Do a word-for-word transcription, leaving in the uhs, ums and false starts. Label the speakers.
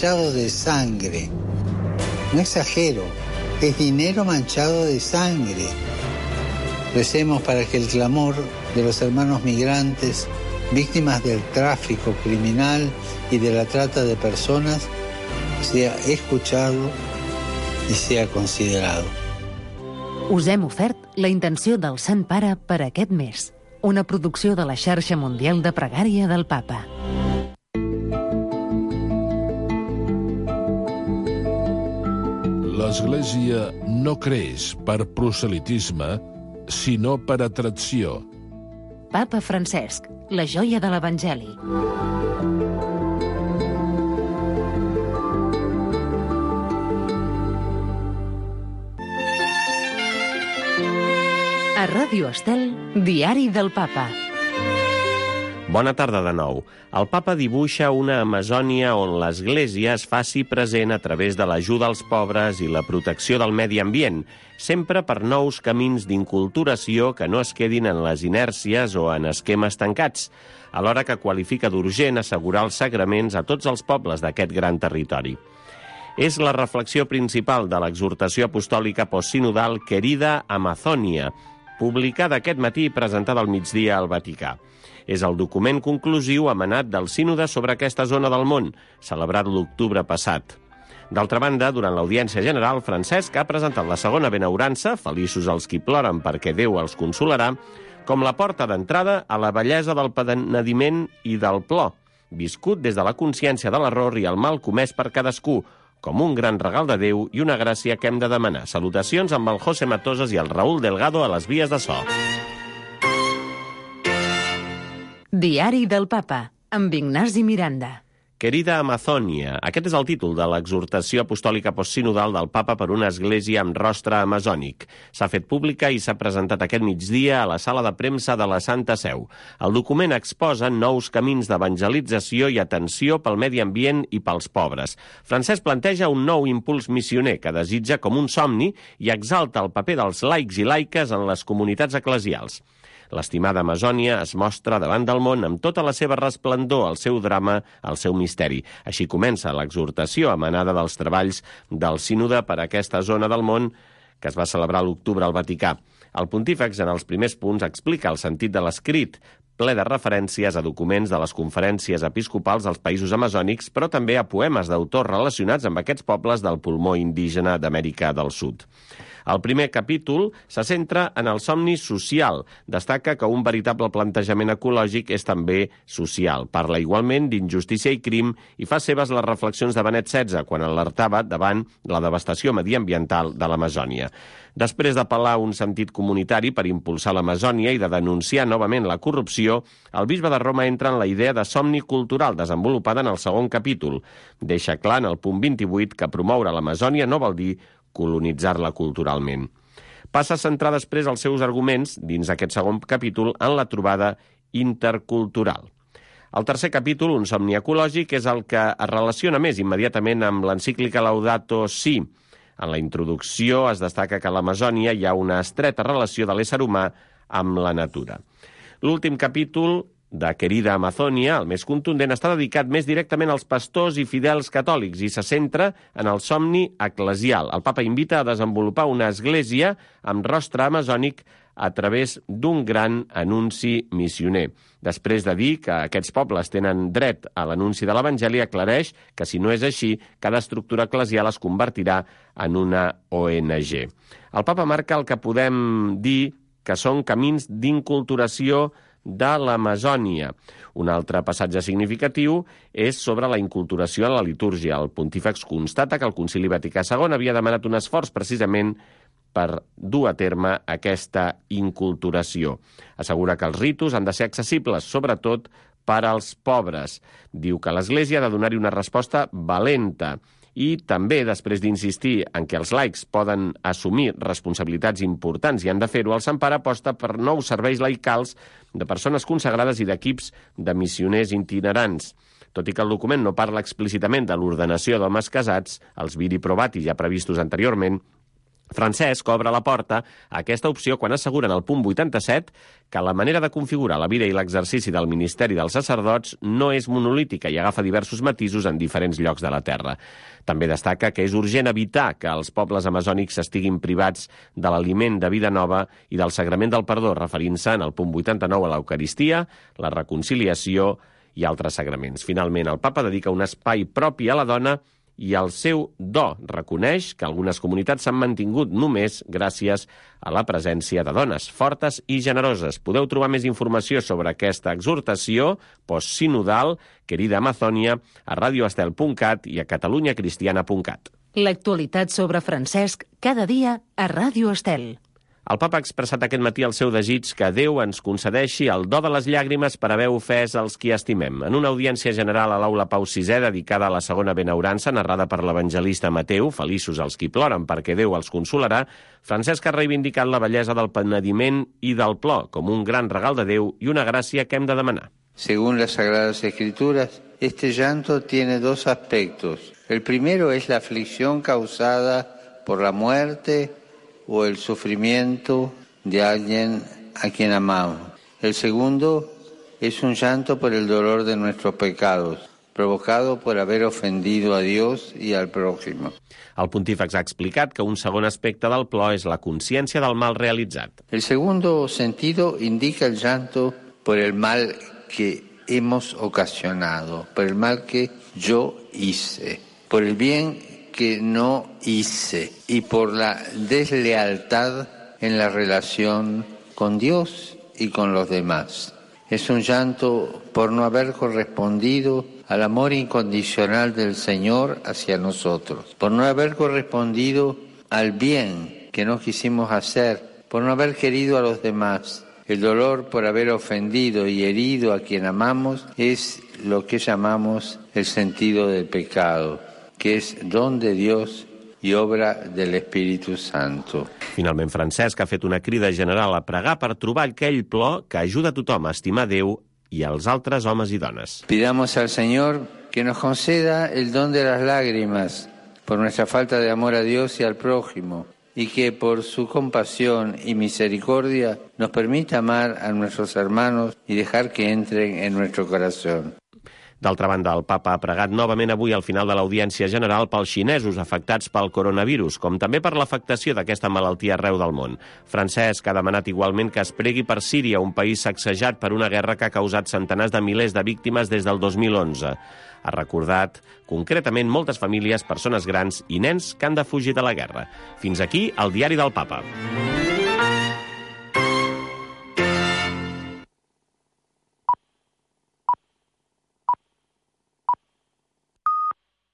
Speaker 1: manchado de sangre. No exagero, es dinero manchado de sangre. Recemos para que el clamor de los hermanos migrantes, víctimas del tráfico criminal y de la trata de personas, sea escuchado i sea considerado.
Speaker 2: Us hem ofert la intenció del Sant Pare per aquest mes, una producció de la Xarxa Mundial de Pregària del Papa.
Speaker 3: L'Església no creix per proselitisme, sinó per atracció.
Speaker 2: Papa Francesc, la joia de l'Evangeli. A Ràdio Estel, Diari del Papa.
Speaker 4: Bona tarda de nou. El papa dibuixa una Amazònia on l'Església es faci present a través de l'ajuda als pobres i la protecció del medi ambient, sempre per nous camins d'inculturació que no es quedin en les inèrcies o en esquemes tancats, alhora que qualifica d'urgent assegurar els sagraments a tots els pobles d'aquest gran territori. És la reflexió principal de l'exhortació apostòlica postsinodal Querida Amazònia, publicada aquest matí i presentada al migdia al Vaticà. És el document conclusiu emanat del sínode sobre aquesta zona del món, celebrat l'octubre passat. D'altra banda, durant l'audiència general, Francesc ha presentat la segona benaurança, feliços els qui ploren perquè Déu els consolarà, com la porta d'entrada a la bellesa del penediment i del plor, viscut des de la consciència de l'error i el mal comès per cadascú, com un gran regal de Déu i una gràcia que hem de demanar. Salutacions amb el José Matosas i el Raúl Delgado a les vies de so.
Speaker 2: Diari del Papa, amb Ignasi Miranda.
Speaker 4: Querida Amazònia. Aquest és el títol de l'exhortació apostòlica postsinodal del Papa per una església amb rostre amazònic. S'ha fet pública i s'ha presentat aquest migdia a la sala de premsa de la Santa Seu. El document exposa nous camins d'evangelització i atenció pel medi ambient i pels pobres. Francesc planteja un nou impuls missioner que desitja com un somni i exalta el paper dels laics i laiques en les comunitats eclesials. L'estimada Amazònia es mostra davant del món amb tota la seva resplendor, el seu drama, el seu misteri. Així comença l'exhortació emanada dels treballs del sínode per a aquesta zona del món que es va celebrar a l'octubre al Vaticà. El pontífex, en els primers punts, explica el sentit de l'escrit, ple de referències a documents de les conferències episcopals dels països amazònics, però també a poemes d'autors relacionats amb aquests pobles del pulmó indígena d'Amèrica del Sud. El primer capítol se centra en el somni social. Destaca que un veritable plantejament ecològic és també social. Parla igualment d'injustícia i crim i fa seves les reflexions de Benet setze, quan alertava davant la devastació mediambiental de l'Amazònia. Després d'apel·lar un sentit comunitari per impulsar l'Amazònia i de denunciar novament la corrupció, el bisbe de Roma entra en la idea de somni cultural desenvolupada en el segon capítol. Deixa clar en el punt vint-i-vuit que promoure l'Amazònia no vol dir colonitzar-la culturalment. Passa a centrar després els seus arguments, dins aquest segon capítol, en la trobada intercultural. El tercer capítol, un somni ecològic, és el que es relaciona més immediatament amb l'encíclica Laudato Si. En la introducció es destaca que a l'Amazònia hi ha una estreta relació de l'ésser humà amb la natura. L'últim capítol de Querida Amazònia, el més contundent, està dedicat més directament als pastors i fidels catòlics i se centra en el somni eclesial. El papa invita a desenvolupar una església amb rostre amazònic a través d'un gran anunci missioner. Després de dir que aquests pobles tenen dret a l'anunci de l'Evangeli, aclareix que si no és així, cada estructura eclesial es convertirà en una O N G. El papa marca el que podem dir que són camins d'inculturació de l'Amazònia. Un altre passatge significatiu és sobre la inculturació en la litúrgia. El pontífex constata que el Concili Vaticà segon havia demanat un esforç precisament per dur a terme aquesta inculturació. Assegura que els ritus han de ser accessibles, sobretot per als pobres. Diu que l'Església ha de donar-hi una resposta valenta i també, després d'insistir en que els laics poden assumir responsabilitats importants i han de fer-ho, el Sant Pare aposta per nous serveis laicals de persones consagrades i d'equips de missioners itinerants. Tot i que el document no parla explícitament de l'ordenació d'homes casats, els viri probati ja previstos anteriorment, Francesc obre la porta a aquesta opció quan assegura en el punt vuitanta-set que la manera de configurar la vida i l'exercici del ministeri dels sacerdots no és monolítica i agafa diversos matisos en diferents llocs de la terra. També destaca que és urgent evitar que els pobles amazònics estiguin privats de l'aliment de vida nova i del sagrament del perdó, referint-se en el punt vuitanta-nou a l'Eucaristia, la reconciliació i altres sagraments. Finalment, el papa dedica un espai propi a la dona i el seu do reconeix que algunes comunitats s'han mantingut només gràcies a la presència de dones fortes i generoses. Podeu trobar més informació sobre aquesta exhortació postsinodal, Querida Amazònia, a radioestel punt cat i a catalunyacristiana punt cat.
Speaker 2: L'actualitat sobre Francesc cada dia a Ràdio Estel.
Speaker 4: El papa ha expressat aquest matí el seu desig que Déu ens concedeixi el do de les llàgrimes per haver ofès els qui estimem. En una audiència general a l'Aula Pau sisè dedicada a la segona benaurança, narrada per l'evangelista Mateu, feliços els qui ploren perquè Déu els consolarà, Francesc ha reivindicat la bellesa del penediment i del plor com un gran regal de Déu i una gràcia que hem de demanar.
Speaker 1: Según las Sagradas Escrituras, este llanto tiene dos aspectos. El primero es la aflicción causada por la muerte o el sufrimiento de alguien a quien amamos. El segundo es un llanto por el dolor de nuestros pecados, provocado por haber ofendido a Dios y al prójimo.
Speaker 4: El pontífex ha explicat que un segon aspecte del plor és la consciència del mal realitzat.
Speaker 1: El segundo sentido indica el llanto por el mal que hemos ocasionado, por el mal que yo hice, por el bien que no hice y por la deslealtad en la relación con Dios y con los demás. Es un llanto por no haber correspondido al amor incondicional del Señor hacia nosotros, por no haber correspondido al bien que no quisimos hacer, por no haber querido a los demás. El dolor por haber ofendido y herido a quien amamos es lo que llamamos el sentido del pecado, que és don de Dios i obra del Espíritu Santo.
Speaker 4: Finalment, Francesc ha fet una crida general a pregar per trobar aquell plor que ajuda a tothom a estimar Déu i als altres homes i dones.
Speaker 1: Pidamos al Señor que nos conceda el don de las lágrimas por nuestra falta de amor a Dios y al prójimo, y que por su compasión y misericordia nos permita amar a nuestros hermanos y dejar que entren en nuestro corazón.
Speaker 4: D'altra banda, el papa ha pregat novament avui al final de l'audiència general pels xinesos afectats pel coronavirus, com també per l'afectació d'aquesta malaltia arreu del món. Francesc ha demanat igualment que es pregui per Síria, un país sacsejat per una guerra que ha causat centenars de milers de víctimes des del dos mil onze. Ha recordat concretament moltes famílies, persones grans i nens que han de fugir de la guerra. Fins aquí el diari del papa.